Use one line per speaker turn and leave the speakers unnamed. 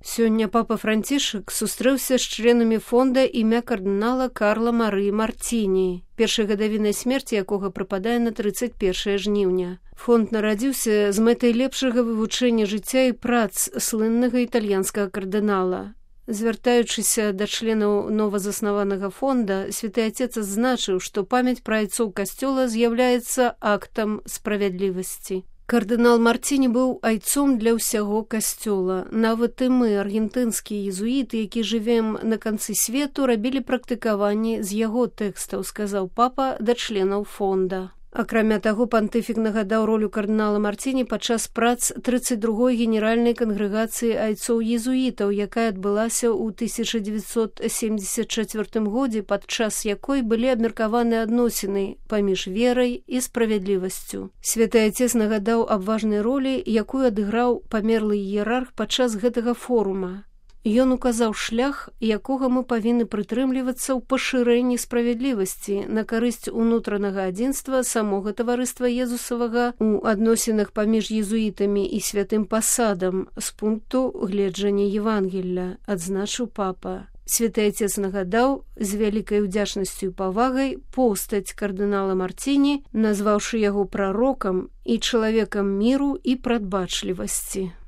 Сёння папа Францішак сустрэўся з членамі фонда імя кардынала Карла Марыі Мартіні, першай гадавінай смерці якога прыпадае на 31 жніўня. Фонд нарадзіўся з мэтай лепшага вывучэння жыцця і прац слыннага італьянскага кардынала. Звяртаючыся да членаў новазаснаванага фонда, святы Отец адзначыў, што памяць пра айцоў касцёла з'яўляецца актам справядлівасці. Кардынал Мартіні быў айцом для ўсяго касцёла. Нават і мы, аргентынскія езуіты, які жывем на канцы свету, рабілі практыкаванні з яго тэкстаў, сказаў папа да членаў фонда. Акрамя таго, пантыфік нагадаў ролю кардынала Мартіні падчас прац 32-й генеральнай кангрэгацыі айцоў-езуітаў, якая адбылася ў 1974 годзе, падчас якой былі абмеркаваны адносіны паміж верай і справядлівасцю. Святы Отец нагадаў аб важнай ролі, якую адыграў памерлы іерарх падчас гэтага форума. Ён указаў шлях, якога мы павінны прытрымлівацца ў пашырэнні справядлівасці на карысць унутранага адзінства самога таварыства Езусавага ў адносінах паміж езуітамі і святым пасадам з пункту гледжання Евангелля, адзначыў папа. Святы Отец нагадаў з вялікай удзячнасцю і павагай постаць кардынала Мартіні, назваўшы яго прарокам і чалавекам міру і прадбачлівасці.